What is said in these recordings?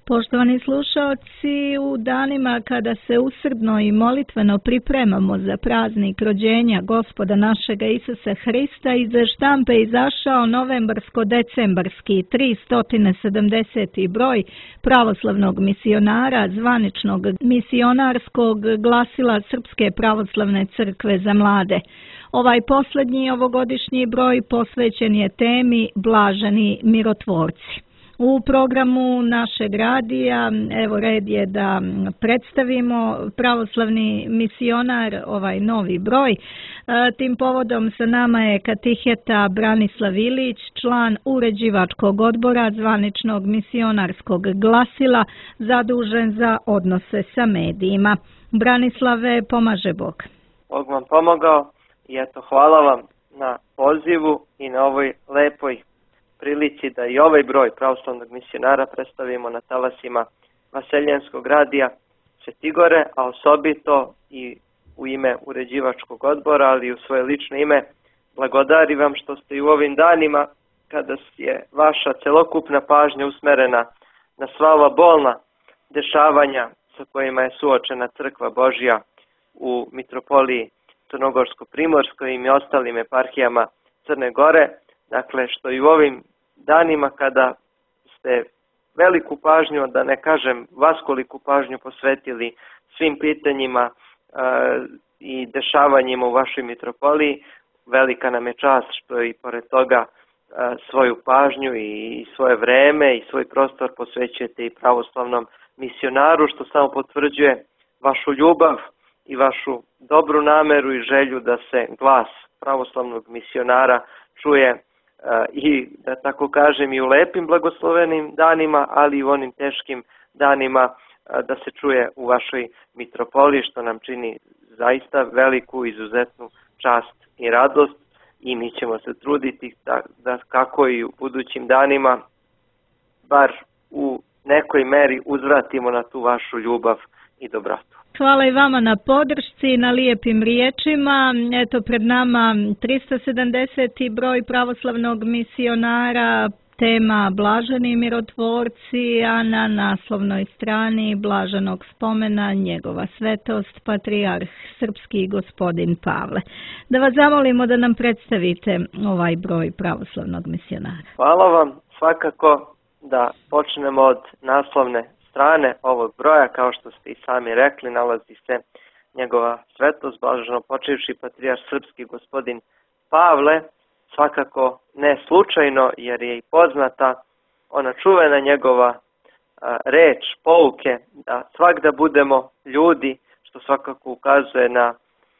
Poštovani slušaoci, u danima kada se usrdno i molitveno pripremamo za praznik rođenja Gospoda našega Isusa Hrista, iz štampe izašao novembarsko-decembarski 370. broj pravoslavnog misionara, zvaničnog misionarskog glasila Srpske pravoslavne crkve za mlade. Ovaj posljednji ovogodišnji broj posvećen je temi Blaženi mirotvorci. U programu našeg radija, evo red je da predstavimo pravoslavni misionar, ovaj novi broj. Tim povodom sa nama je katiheta Branislav Ilić, član uređivačkog odbora zvaničnog misionarskog glasila, zadužen za odnose sa medijima. Branislave, pomaže Bog. Bog vam pomogao i eto, hvala vam na pozivu i na ovoj lepoj prilici da i ovaj broj pravoslavnog misionara predstavimo na talasima Vaseljenskog radija Svetigore, a osobito i u ime uređivačkog odbora, ali i u svoje lično ime blagodari vam što ste i u ovim danima, kada je vaša celokupna pažnja usmerena na sva ova bolna dešavanja sa kojima je suočena Crkva Božja u mitropoliji Crnogorsko-Primorskoj i ostalim eparhijama Crne Gore. Dakle, što i u ovim danima kada ste veliku pažnju, da ne kažem vaskoliku pažnju posvetili svim pitanjima i dešavanjima u vašoj mitropoliji, velika nam je čast što i pored toga svoju pažnju i svoje vreme i svoj prostor posvećujete i pravoslavnom misionaru, što samo potvrđuje vašu ljubav i vašu dobru nameru i želju da se glas pravoslavnog misionara čuje i, da tako kažem, i u lepim blagoslovenim danima, ali i u onim teškim danima da se čuje u vašoj mitropoliji, što nam čini zaista veliku, izuzetnu čast i radost, i mi ćemo se truditi da kako i u budućim danima bar u nekoj meri uzvratimo na tu vašu ljubav i dobrotu. Hvala i vama na podršci i na lijepim riječima. Eto, pred nama 370. broj pravoslavnog misionara, tema Blaženi mirotvorci, a na naslovnoj strani blaženog spomena njegova svetost, patrijarh srpski gospodin Pavle. Da vas zamolimo da nam predstavite ovaj broj pravoslavnog misionara. Hvala vam. Svakako da počnemo od naslovne strane ovog broja. Kao što ste i sami rekli, nalazi se njegova svetost, blaženo počivši patrijarh srpski gospodin Pavle, svakako ne slučajno, jer je i poznata ona čuvena njegova reč, pouke, da svakda budemo ljudi, što svakako ukazuje na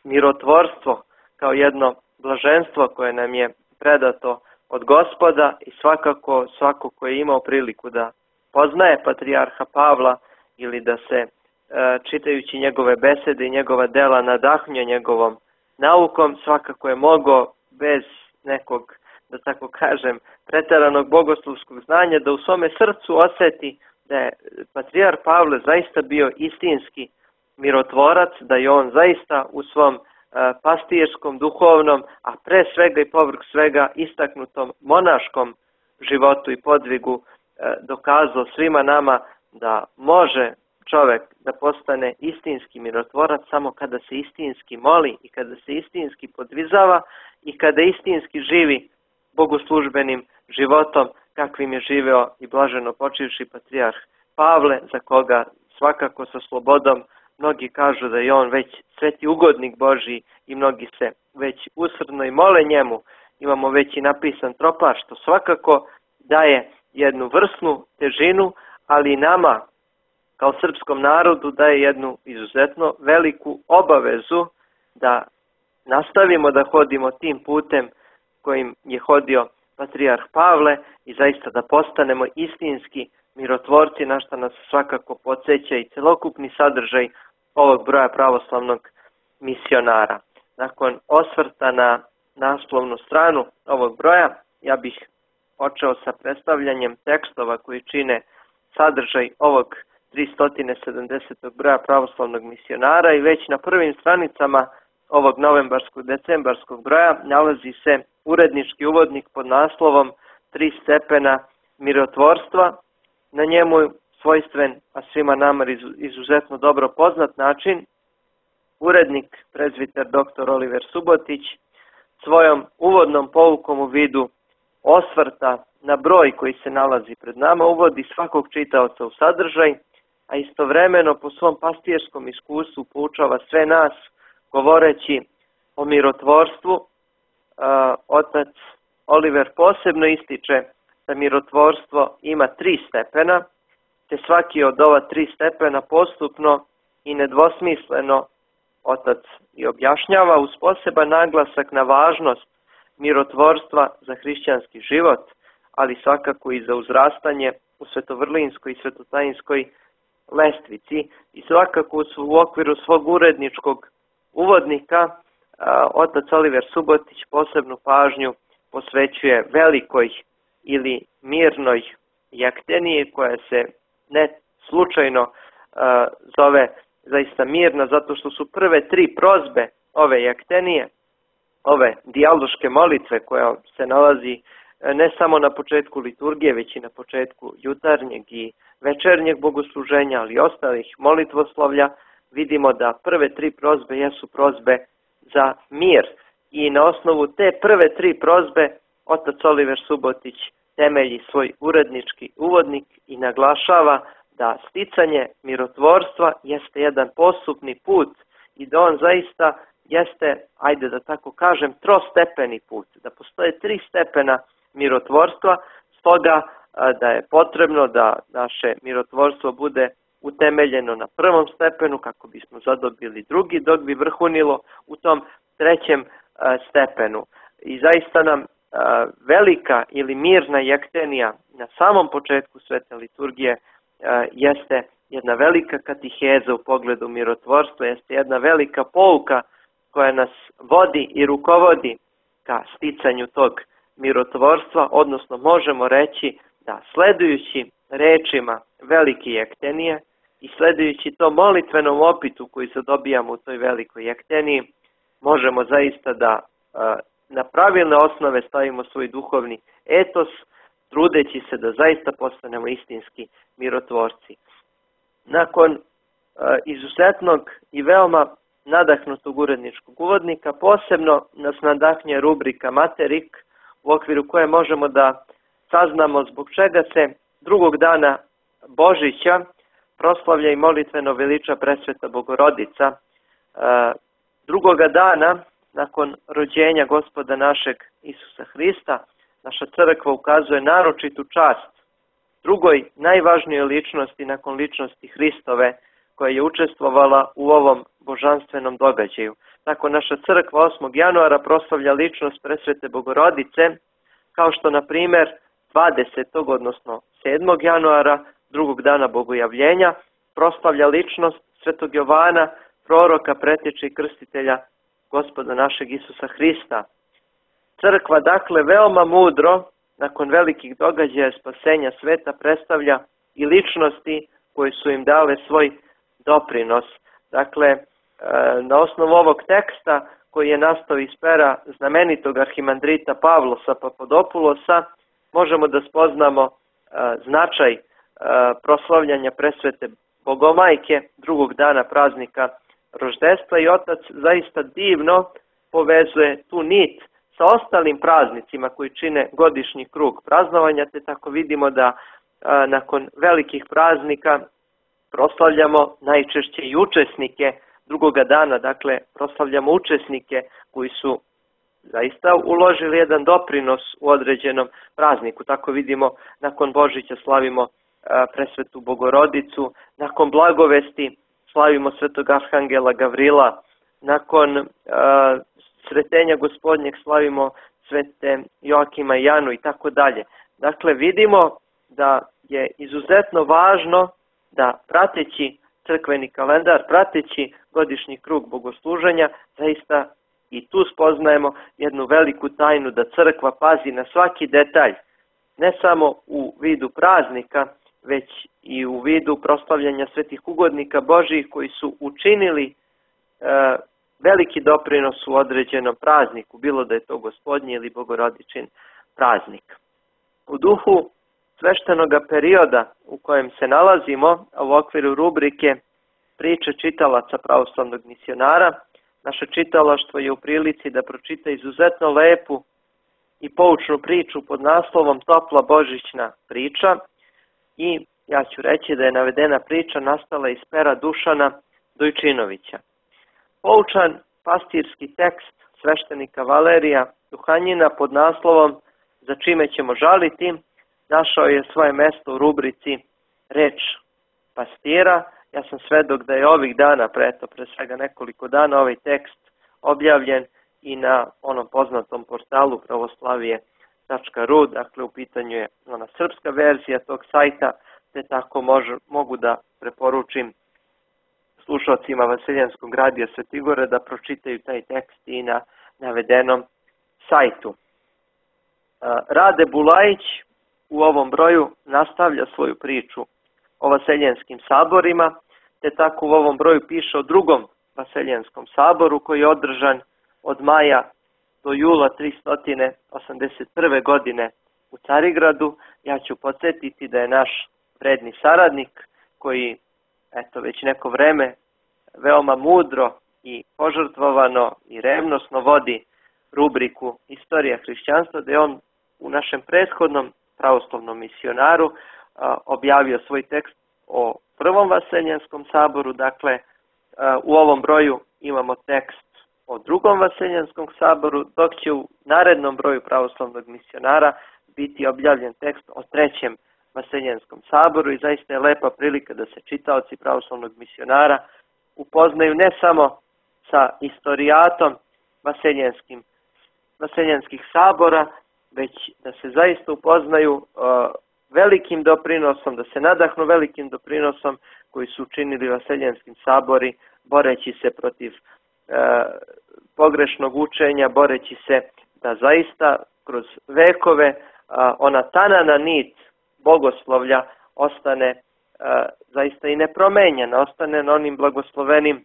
mirotvorstvo kao jedno blaženstvo koje nam je predato od Gospoda, i svakako svako ko je imao priliku da poznaje patrijarha Pavla ili da se čitajući njegove besede i njegova dela nadahnuje njegovom naukom, svakako je mogao bez nekog, da tako kažem, preteranog bogoslovskog znanja da u svome srcu osjeti da je patrijarh Pavle zaista bio istinski mirotvorac, da je on zaista u svom pastirskom, duhovnom, a pre svega i povrh svega istaknutom monaškom životu i podvigu dokazao svima nama da može čovjek da postane istinski mirotvorac samo kada se istinski moli i kada se istinski podvizava i kada istinski živi bogoslužbenim životom kakvim je živeo i blaženo počivši patrijarh Pavle, za koga svakako sa slobodom mnogi kažu da je on već sveti ugodnik Božji i mnogi se već usrdno i mole njemu. Imamo već i napisan tropar, što svakako daje jednu vrsnu težinu, ali i nama kao srpskom narodu daje jednu izuzetno veliku obavezu da nastavimo da hodimo tim putem kojim je hodio patrijarh Pavle i zaista da postanemo istinski mirotvorci, na što nas svakako podsjeća i celokupni sadržaj ovog broja pravoslavnog misionara. Nakon osvrta na naslovnu stranu ovog broja, ja bih počeo sa predstavljanjem tekstova koji čine sadržaj ovog 370. broja pravoslavnog misionara, i već na prvim stranicama ovog novembarskog-decembarskog broja nalazi se urednički uvodnik pod naslovom 3 stepena mirotvorstva. Na njemu svojstven, a svima nama izuzetno dobro poznat način, urednik, prezbiter dr. Oliver Subotić, svojom uvodnom poukom u vidu osvrta na broj koji se nalazi pred nama, uvodi svakog čitaoca u sadržaj, a istovremeno po svom pastijerskom iskustvu poučava sve nas, govoreći o mirotvorstvu. Otac Oliver posebno ističe da mirotvorstvo ima 3 stepena, te svaki od ova 3 stepena postupno i nedvosmisleno otac i objašnjava uz poseban naglasak na važnost mirotvorstva za hrišćanski život, ali svakako i za uzrastanje u svetovrlinskoj i svetotajinskoj lestvici. I svakako u okviru svog uredničkog uvodnika otac Oliver Subotić posebnu pažnju posvećuje velikoj ili mirnoj jakteniji, koja se ne slučajno zove zaista mirna, zato što su prve 3 prozbe ove jaktenije, ove dijaloške molitve koja se nalazi ne samo na početku liturgije, već i na početku jutarnjeg i večernjeg bogosluženja, ali i ostalih molitvoslovlja, vidimo da prve 3 prozbe jesu prozbe za mir. I na osnovu te prve 3 prozbe otac Oliver Subotić temelji svoj urednički uvodnik i naglašava da sticanje mirotvorstva jeste jedan postupni put i da on zaista jeste, ajde da tako kažem, trostepeni put, da postoje 3 stepena mirotvorstva, stoga da je potrebno da naše mirotvorstvo bude utemeljeno na prvom stepenu kako bismo zadobili drugi, dok bi vrhunilo u tom 3. stepenu. I zaista nam velika ili mirna jaktenija na samom početku svete liturgije jeste jedna velika katiheza u pogledu mirotvorstva, jeste jedna velika pouka koja nas vodi i rukovodi ka sticanju tog mirotvorstva, odnosno možemo reći da sledujući rečima velike jaktenije i sledujući to molitvenom opitu koji se dobijamo u toj velikoj jakteniji, možemo zaista da na pravilne osnove stavimo svoj duhovni etos, trudeći se da zaista postanemo istinski mirotvorci. Nakon izuzetnog i veoma nadahnutog uredničkog uvodnika, posebno nas nadahnje rubrika Materik, u okviru koje možemo da saznamo zbog čega se drugog dana Božića proslavlja i molitveno veliča Presveta Bogorodica. Drugoga dana, nakon rođenja Gospoda našeg Isusa Hrista, naša crkva ukazuje naročitu čast drugoj najvažnijoj ličnosti nakon ličnosti Hristove, koja je učestvovala u ovom božanstvenom događaju. Tako naša crkva 8. januara proslavlja ličnost Presvete Bogorodice, kao što na primjer 20. odnosno 7. januara, drugog dana Bogojavljenja, proslavlja ličnost Svetog Jovana, proroka, preteča i krstitelja Gospoda našeg Isusa Hrista. Crkva dakle veoma mudro, nakon velikih događaja spasenja sveta, predstavlja i ličnosti koje su im dale svoj doprinos. Dakle, na osnovu ovog teksta koji je nastao iz pera znamenitog arhimandrita Pavlosa Papadopulosa, možemo da spoznamo značaj proslavljanja presvete Bogomajke drugog dana praznika roždestva i otac zaista divno povezuje tu nit sa ostalim praznicima koji čine godišnji krug praznovanja, te tako vidimo da nakon velikih praznika proslavljamo najčešće i učesnike drugoga dana, dakle proslavljamo učesnike koji su zaista uložili jedan doprinos u određenom prazniku. Tako vidimo, nakon Božića slavimo presvetu Bogorodicu, nakon blagovesti slavimo svetog arhangela Gavrila, nakon sretenja Gospodnjeg slavimo svete Joakima i Janu i tako dalje. Dakle, vidimo da je izuzetno važno da prateći crkveni kalendar, prateći godišnji krug bogosluženja, zaista i tu spoznajemo jednu veliku tajnu da crkva pazi na svaki detalj, ne samo u vidu praznika, već i u vidu proslavljanja svetih ugodnika Božijih koji su učinili veliki doprinos u određenom prazniku, bilo da je to Gospodnji ili Bogorodičin praznik. U duhu sveštenog perioda u kojem se nalazimo, a u okviru rubrike priče čitalaca pravoslavnog misionara, naše čitalaštvo je u prilici da pročita izuzetno lepu i poučnu priču pod naslovom Topla božićna priča i ja ću reći da je navedena priča nastala iz pera Dušana Dojčinovića. Poučan pastirski tekst sveštenika Valerija Duhanjina pod naslovom Za čime ćemo žaliti našao je svoje mesto u rubrici Reč pastira. Ja sam svedok da je ovih dana, pre svega nekoliko dana, ovaj tekst objavljen i na onom poznatom portalu pravoslavije.ru, dakle u pitanju je ona srpska verzija tog sajta, te tako mogu da preporučim slušalcima Vaseljenskog radija Svetigore da pročitaju taj tekst i na navedenom sajtu. Rade Bulajić u ovom broju nastavlja svoju priču o Vaseljenskim saborima, te tako u ovom broju piše o drugom Vaseljenskom saboru koji je održan od maja do jula 381. godine u Carigradu. Ja ću podsjetiti da je naš vredni saradnik koji već neko vreme veoma mudro i požrtvovano i revnosno vodi rubriku Istorija hrišćanstva, da je on u našem prethodnom pravoslavnom misionaru objavio svoj tekst o prvom Vaseljenskom saboru. Dakle, u ovom broju imamo tekst o drugom Vaseljenskom saboru, dok će u narednom broju pravoslavnog misionara biti objavljen tekst o trećem Vaseljenskom saboru i zaista je lepa prilika da se čitaoci pravoslavnog misionara upoznaju ne samo sa istorijatom Vaseljenskih sabora, već da se zaista upoznaju velikim doprinosom, da se nadahnu velikim doprinosom koji su učinili Vaseljenski sabori, boreći se protiv pogrešnog učenja, boreći se da zaista kroz vekove ona tanana nit bogoslovlja ostane zaista i nepromenjena, ostane na onim blagoslovenim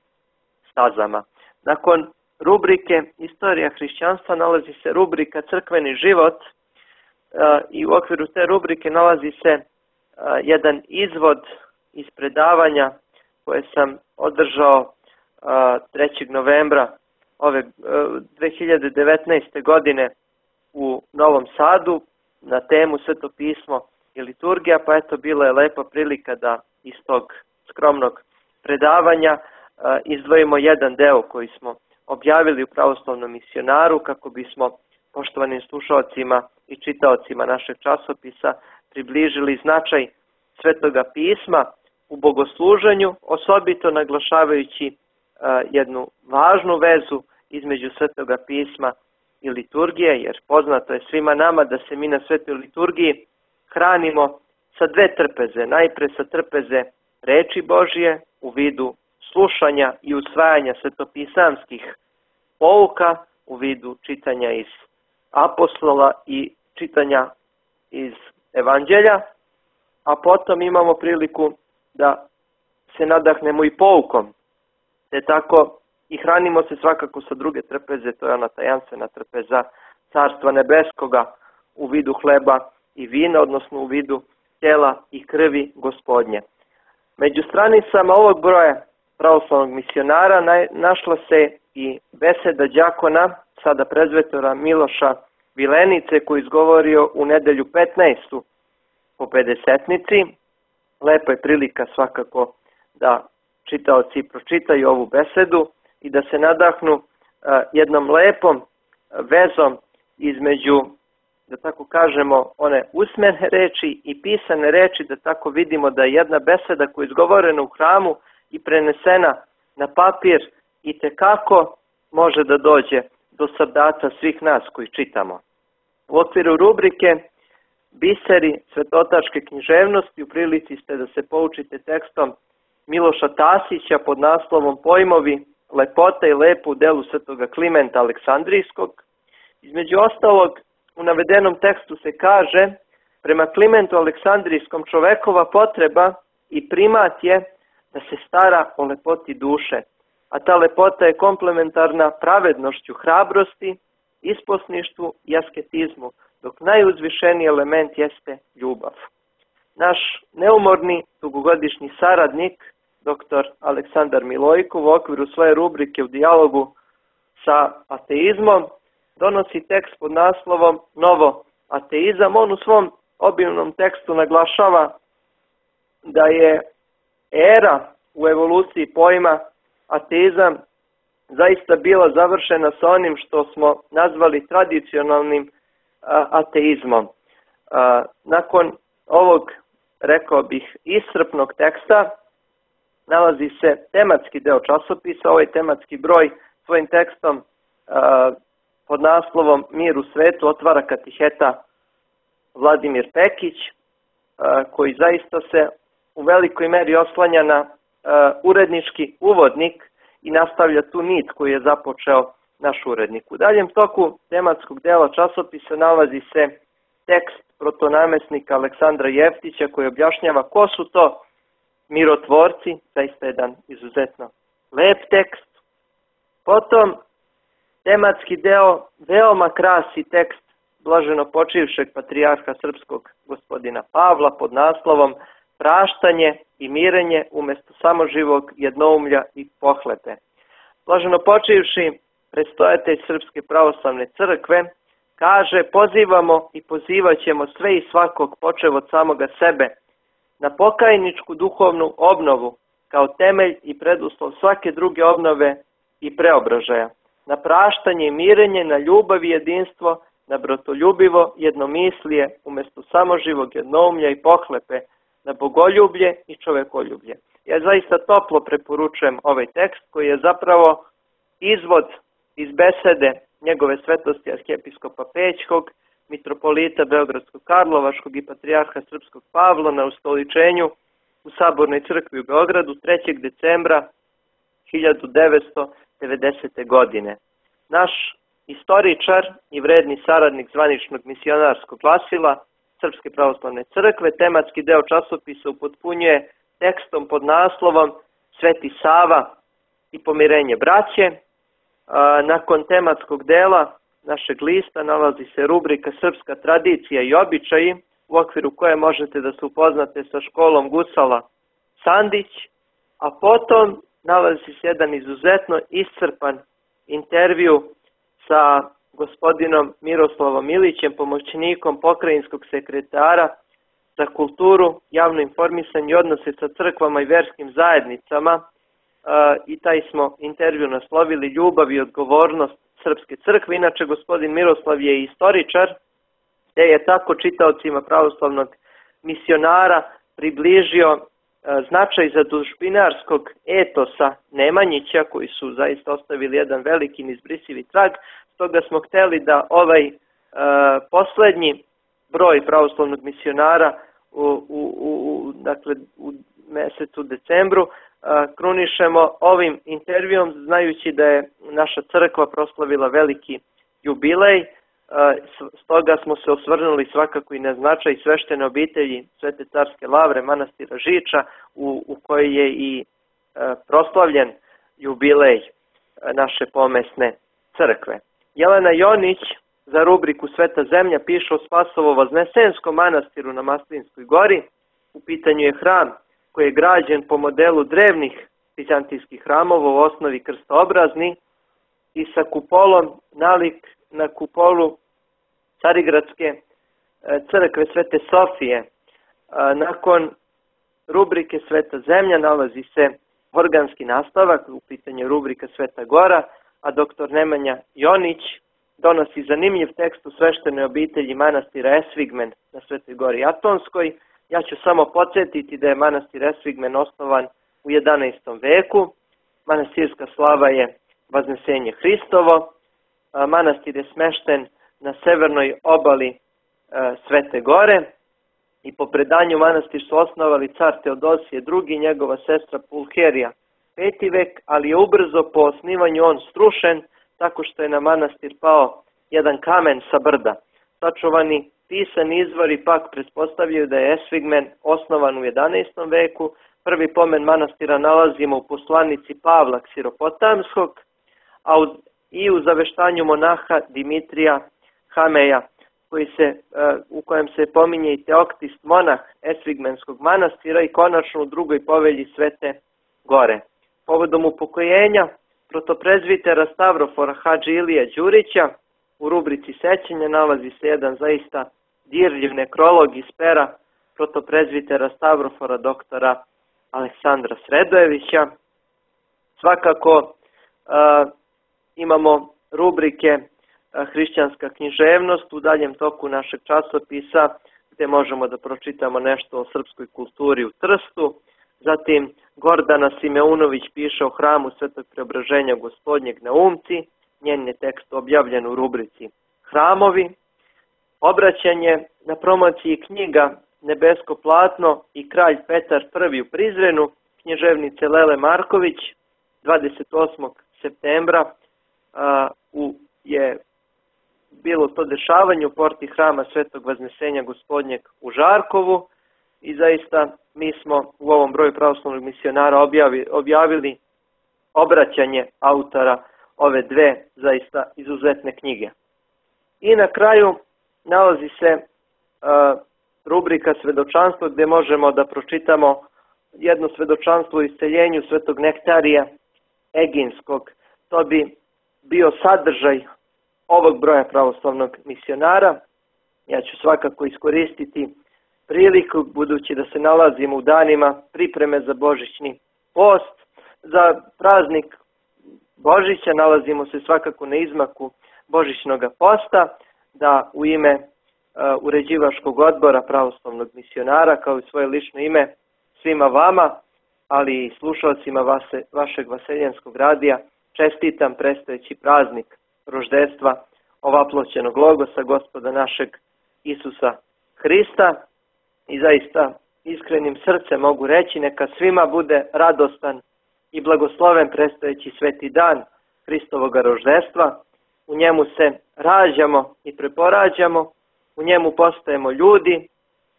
stazama. Nakon rubrike Istorija hrišćanstva nalazi se rubrika Crkveni život i u okviru te rubrike nalazi se jedan izvod iz predavanja koje sam održao 3. novembra 2019. godine u Novom Sadu na temu Sveto pismo i liturgija, pa eto bila je lepa prilika da iz tog skromnog predavanja izdvojimo jedan deo koji smo objavili u pravoslavnom misionaru kako bismo poštovanim slušalcima i čitaocima našeg časopisa približili značaj Svetoga pisma u bogosluženju, osobito naglašavajući jednu važnu vezu između Svetoga pisma i liturgije, jer poznato je svima nama da se mi na Svetoj liturgiji hranimo sa dve trpeze. Najpre sa trpeze reči Božije u vidu slušanja i usvajanja svetopisamskih pouka, u vidu čitanja iz apostola i čitanja iz evanđelja, a potom imamo priliku da se nadahnemo i poukom, te tako i hranimo se svakako sa druge trpeze, to je ona tajanstvena trpeza Carstva nebeskoga u vidu hleba i vina, odnosno u vidu tela i krvi Gospodnje. Među stranicama ovog broja pravoslavnog misionara našla se i beseda đakona, sada prezvetora Miloša Vilenice, koji izgovorio u nedelju 15. po Pedesetnici. Lepa je prilika svakako da čitaoci pročitaju ovu besedu i da se nadahnu jednom lepom vezom između, da tako kažemo, one usmene reči i pisane reči, da tako vidimo da je jedna beseda koja je izgovorena u hramu i prenesena na papir i tekako može da dođe do srdaca svih nas koji čitamo. U okviru rubrike Biseri svetotačke književnosti u prilici ste da se poučite tekstom Miloša Tasića pod naslovom Pojmovi, lepota i lepo u delu svetoga Klimenta Aleksandrijskog. Između ostalog, u navedenom tekstu se kaže: prema Klimentu Aleksandrijskom čovekova potreba i primat je da se stara o lepoti duše, a ta lepota je komplementarna pravednošću, hrabrosti, isposništvu i asketizmu, dok najuzvišeniji element jeste ljubav. naš neumorni dugogodišnji saradnik, dr. Aleksandar Milojkov, u okviru svoje rubrike u dijalogu sa ateizmom, donosi tekst pod naslovom Novo ateizam. On u svom obimnom tekstu naglašava da je era u evoluciji pojma ateizam zaista bila završena sa onim što smo nazvali tradicionalnim ateizmom. Nakon ovog, rekao bih, iscrpnog teksta nalazi se tematski deo časopisa. Ovaj tematski broj svojim tekstom pod naslovom Mir u svetu otvara katiheta Vladimir Pekić, koji zaista se u velikoj meri oslanja na urednički uvodnik i nastavlja tu nit koju je započeo naš urednik. U daljem toku tematskog dela časopisa nalazi se tekst protonamesnika Aleksandra Jeftića koji objašnjava ko su to mirotvorci, zaista jedan izuzetno lep tekst. Potom tematski deo veoma krasi tekst blaženo počivšeg patrijarha srpskog gospodina Pavla pod naslovom Praštanje i mirenje umjesto samoživog jednoumlja i pohlepe. Blaženo počivši predstojatelj Srpske pravoslavne crkve kaže: pozivamo i pozivat ćemo sve i svakog počev od samoga sebe na pokajničku duhovnu obnovu kao temelj i preduslov svake druge obnove i preobražaja, na praštanje i mirenje, na ljubav i jedinstvo, na bratoljubivo jednomislije umjesto samoživog jednoumlja i pohlepe, na bogoljublje i čovekoljublje. Ja zaista toplo preporučujem ovaj tekst koji je zapravo izvod iz besede njegove svetosti arhijepiskopa Pećkog, mitropolita Beogradsko-Karlovačkog i patrijarha Srpskog Pavla na ustoličenju u Sabornoj crkvi u Beogradu 3. decembra 1990. godine. Naš istoričar i vredni saradnik zvaničnog misionarskog glasila Srpske pravoslavne crkve tematski deo časopisa upotpunjuje tekstom pod naslovom Sveti Sava i pomirenje braće. Nakon tematskog dela našeg lista nalazi se rubrika Srpska tradicija i običaji, u okviru koje možete da se upoznate sa školom Gusala Sandić, a potom nalazi se jedan izuzetno iscrpan intervju sa gospodinom Miroslavom Ilićem, pomoćnikom pokrajinskog sekretara za kulturu, javno informisanje i odnose sa crkvama i verskim zajednicama, i taj smo intervju naslovili Ljubav i odgovornost Srpske crkve. Inače, gospodin Miroslav je istoričar, te je tako čitaocima pravoslavnog misionara približio značaj zadužbinarskog etosa Nemanjića, koji su zaista ostavili jedan veliki neizbrisivi trag. Stoga smo hteli da ovaj poslednji broj pravoslavnog misionara u mesecu decembru krunišemo ovim intervjuom, znajući da je naša crkva proslavila veliki jubilej. Stoga smo se osvrnuli svakako i na značaj sveštene obitelji Svete carske lavre manastira Žiča, u kojoj je i proslavljen jubilej naše pomesne crkve. Jelena Jonić za rubriku Sveta zemlja piše o Spasovo-Voznesenskom manastiru na Maslinskoj gori. U pitanju je hram koji je građen po modelu drevnih vizantijskih hramova, u osnovi krstoobrazni i sa kupolom nalik na kupolu Carigradske crkve Svete Sofije. Nakon rubrike Sveta zemlja nalazi se organski nastavak, u pitanju rubrika Sveta gora, a dr. Nemanja Jonić donosi zanimljiv tekst u sveštenoj obitelji manastira Esvigmen na Svetoj gori Atonskoj. Ja ću samo podsjetiti da je manastir Esvigmen osnovan u 11. veku. Manastirska slava je Vaznesenje Hristovo. Manastir je smešten na severnoj obali Svete gore i po predanju manastir su osnovali car Teodosije II i njegova sestra Pulherija 5. vek, ali je ubrzo po osnivanju on strušen tako što je na manastir pao jedan kamen sa brda. Sačuvani pisani izvori pak pretpostavljaju da je Esvigmen osnovan u 11. veku. Prvi pomen manastira nalazimo u poslanici Pavla Ksiropotamskog, a i u zaveštanju monaha Dimitrija Hameja u kojem se pominje i Teoktist, monah Esvigmenskog manastira, i konačno u drugoj povelji Svete Gore. Povodom upokojenja protoprezvitera Stavrofora Hadži Ilija Đurića u rubrici sećanja nalazi se jedan zaista dirljiv nekrolog iz pera protoprezvitera Stavrofora doktora Aleksandra Sredojevića. Svakako imamo rubrike hrišćanska književnost u daljem toku našeg časopisa, gdje možemo da pročitamo nešto o srpskoj kulturi u Trstu. Zatim Gordana Simeunović piše o hramu Svetog Preobraženja Gospodnjeg na Umci, njen je tekst objavljen u rubrici Hramovi. Obraćanje na promociji knjiga Nebesko platno i Kralj Petar I u Prizrenu književnice Lele Marković 28. septembra je bilo to dešavanje u porti hrama Svetog Vaznesenja Gospodnjeg u Žarkovu, i zaista mi smo u ovom broju pravoslavnog misionara objavili obraćanje autora ove dve zaista izuzetne knjige. I na kraju nalazi se rubrika svedočanstvo, gdje možemo da pročitamo jedno svedočanstvo o isceljenju Svetog Nektarija Eginskog. To bi bio sadržaj ovog broja pravoslavnog misionara. Ja ću svakako iskoristiti priliku, budući da se nalazimo u danima pripreme za božićni post. Za praznik Božića nalazimo se svakako na izmaku božićnog posta, da u ime uređivačkog odbora pravoslavnog misionara, kao i svoje lično ime, svima vama, ali i slušalcima vašeg Vaseljenskog radija, čestitam predstojeći praznik roždestva ovaploćenog logosa Gospoda našeg Isusa Hrista, i zaista iskrenim srcem mogu reći, neka svima bude radostan i blagosloven predstojeći sveti dan Hristovog roždestva. U njemu se rađamo i preporađamo, u njemu postajemo ljudi,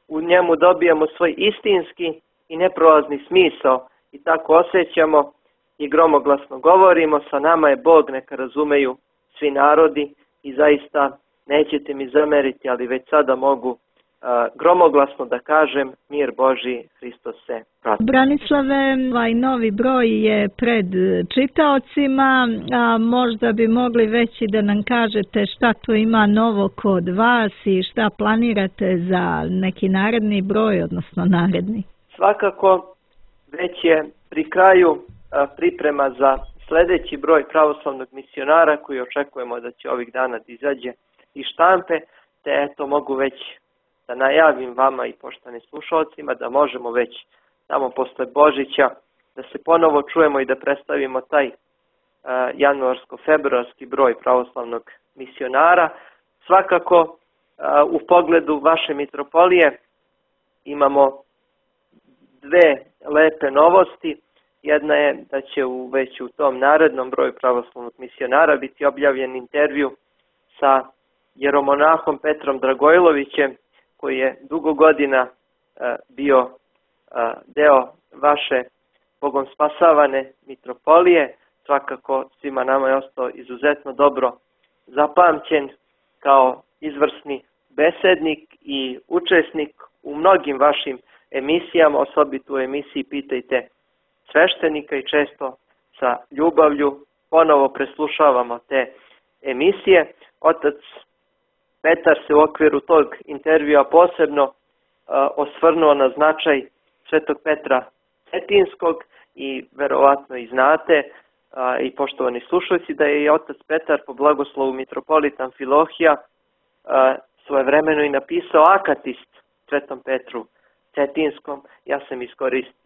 u njemu dobijamo svoj istinski i neprolazni smisao i tako osjećamo i gromoglasno govorimo, sa nama je Bog, neka razumeju svi narodi, i zaista nećete mi zameriti, ali već sada mogu gromoglasno da kažem: mir Božji, Hristos se prati. Branislave, ovaj novi broj je pred čitaocima, a možda bi mogli već i da nam kažete šta to ima novo kod vas i šta planirate za neki naredni broj, odnosno naredni. Svakako već je pri kraju priprema za sljedeći broj pravoslavnog misionara, koji očekujemo da će ovih dana da izađe iz štampe, te eto mogu već da najavim vama i poštovanim slušalcima da možemo već tamo posle Božića da se ponovo čujemo i da predstavimo taj januarsko-februarski broj pravoslavnog misionara. Svakako u pogledu vaše mitropolije imamo dve lepe novosti. Jedna je da će već u tom narednom broju pravoslavnog misionara biti objavljen intervju sa jeromonahom Petrom Dragojlovićem, koji je dugo godina bio deo vaše Bogom spasavane mitropolije. Svakako svima nama je ostao izuzetno dobro zapamćen kao izvrsni besednik i učesnik u mnogim vašim emisijama, osobito u emisiji Pitajte sveštenika, i često sa ljubavlju ponovo preslušavamo te emisije. Otac Petar se u okviru tog intervjua posebno osvrnuo na značaj Svetog Petra Cetinskog, i verovatno i znate i poštovani slušalci da je i otac Petar po blagoslovu mitropolita Amfilohija svojevremeno i napisao akatist Svetom Petru Cetinskom. Ja sam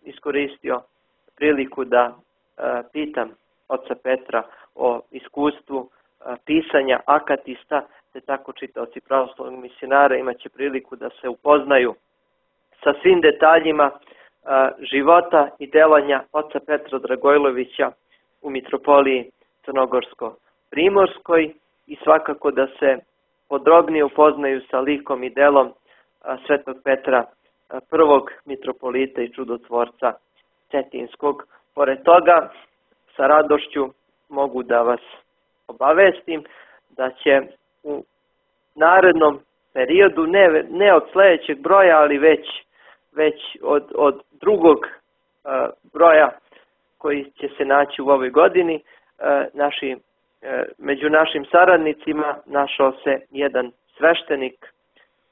iskoristio priliku da pitam oca Petra o iskustvu pisanja akatista, te tako čitaoci pravoslavnog misionara imaće priliku da se upoznaju sa svim detaljima života i delanja oca Petra Dragojlovića u mitropoliji Crnogorsko-Primorskoj, i svakako da se podrobnije upoznaju sa likom i delom Svetog Petra prvog mitropolita i čudotvorca Cetinskog. Pored toga, sa radošću mogu da vas obavestim da će u narednom periodu, ne od sljedećeg broja, ali već od drugog broja koji će se naći u ovoj godini. Među našim saradnicima našao se jedan sveštenik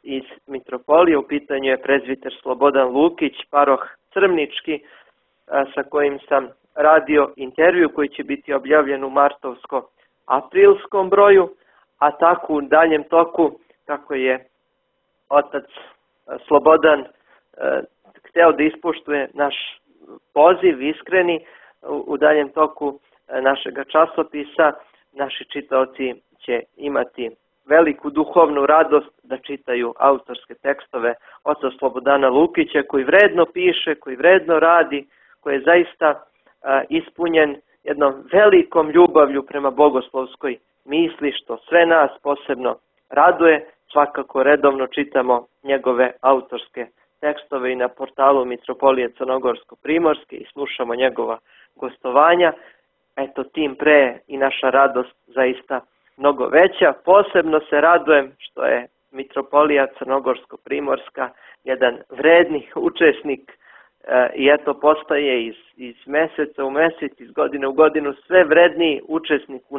iz Mitropolije, u pitanju je prezbiter Slobodan Lukić, paroh Crmnički, sa kojim sam radio intervju koji će biti objavljen u martovsko-aprilskom broju, a tako u daljem toku, kako je otac Slobodan hteo da ispoštuje naš poziv iskreni, u daljem toku našega časopisa naši čitaoci će imati veliku duhovnu radost da čitaju autorske tekstove oca Slobodana Lukića, koji vredno piše, koji vredno radi, koji je zaista ispunjen jednom velikom ljubavlju prema bogoslovskoj misli, što sve nas posebno raduje. Svakako redovno čitamo njegove autorske tekstove i na portalu Mitropolije Crnogorsko-Primorske i slušamo njegova gostovanja. Eto, tim pre i naša radost zaista mnogo veća. Posebno se radujem što je Mitropolija Crnogorsko-Primorska jedan vredni učesnik i eto postaje iz meseca u mesec, iz godine u godinu sve vredniji učesnik u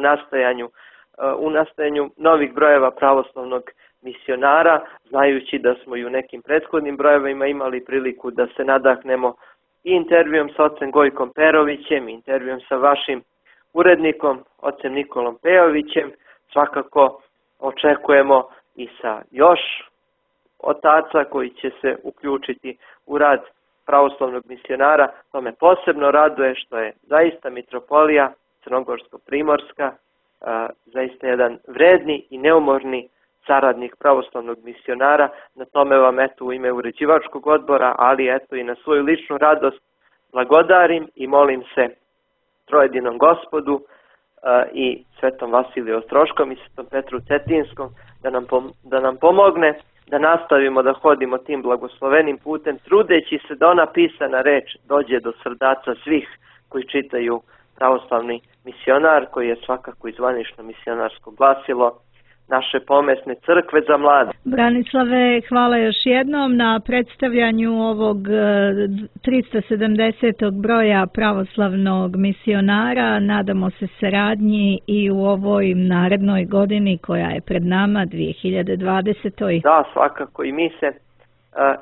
nastajanju novih brojeva pravoslavnog misionara, znajući da smo i u nekim prethodnim brojevima imali priliku da se nadahnemo i intervjuom sa ocem Gojkom Perovićem, intervjuom sa vašim urednikom, ocem Nikolom Pejovićem. Svakako očekujemo i sa još otaca koji će se uključiti u rad pravoslavnog misionara. To me posebno raduje što je zaista Mitropolija Crnogorsko-Primorska zaista jedan vredni i neumorni saradnik pravoslavnog misionara. Na tome vam eto u ime uređivačkog odbora, ali eto i na svoju ličnu radost blagodarim i molim se trojedinom Gospodu i Svetom Vasiliju Ostroškom i Svetom Petru Cetinskom da nam pomogne da nastavimo da hodimo tim blagoslovenim putem, trudeći se da ona pisana reč dođe do srdaca svih koji čitaju pravoslavni misionar, koji je svakako i zvanično misionarsko glasilo naše pomesne crkve za mlade. Branislave, hvala još jednom na predstavljanju ovog 370. broja pravoslavnog misionara. Nadamo se saradnji i u ovoj narednoj godini koja je pred nama, 2020. Da, svakako i mi se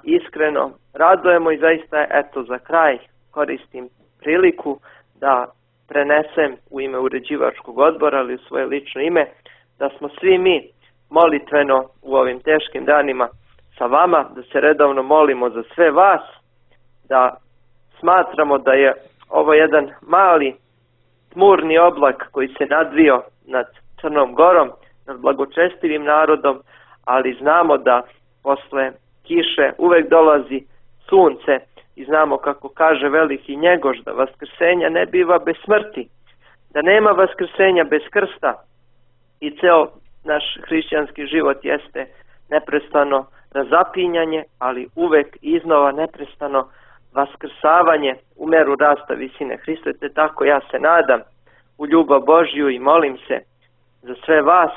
iskreno radujemo i zaista eto za kraj koristim priliku da prenesem u ime uređivačkog odbora, ali u svoje lično ime, da smo svi mi molitveno u ovim teškim danima sa vama, da se redovno molimo za sve vas, da smatramo da je ovo jedan mali tmurni oblak koji se nadvio nad Crnom Gorom, nad blagočestivim narodom, ali znamo da posle kiše uvek dolazi sunce i znamo kako kaže veliki Njegoš da vaskrsenja ne biva bez smrti, da nema vaskrsenja bez krsta. I ceo naš hrišćanski život jeste neprestano razapinjanje, ali uvek iznova neprestano vaskrsavanje u meru rasta visine Hrista. Te tako ja se nadam u ljubav Božju i molim se za sve vas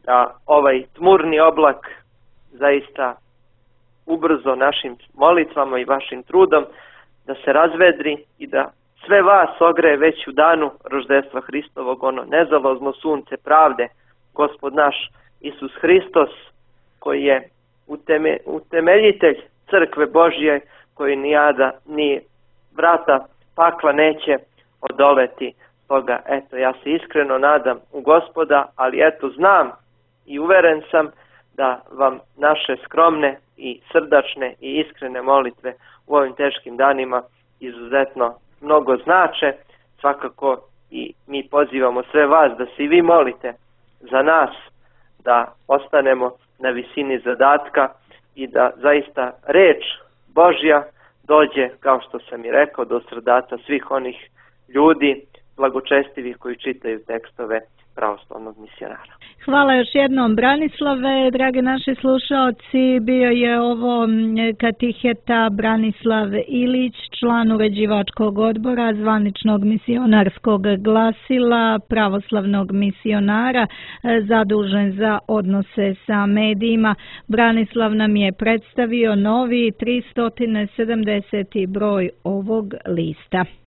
da ovaj tmurni oblak zaista ubrzo našim molitvama i vašim trudom da se razvedri i da sve vas ogreje već u danu roždestva Hristovog, ono nezalozno sunce pravde, Gospod naš Isus Hristos, koji je utemeljitelj crkve Božje, koji ni jada, ni vrata pakla neće odoleti. Toga, eto, ja se iskreno nadam u Gospoda, ali eto, znam i uveren sam da vam naše skromne i srdačne i iskrene molitve u ovim teškim danima izuzetno mnogo znače. Svakako i mi pozivamo sve vas da se i vi molite za nas, da ostanemo na visini zadatka i da zaista reč Božja dođe, kao što sam i rekao, do srdaca svih onih ljudi blagočestivih koji čitaju tekstove pravoslavnog misionara. Hvala još jednom, Branislave. Dragi naši slušalci, bio je ovo katiheta Branislav Ilić, član uređivačkog odbora zvaničnog misionarskog glasila pravoslavnog misionara zadužen za odnose sa medijima. Branislav nam je predstavio novi 370. broj ovog lista.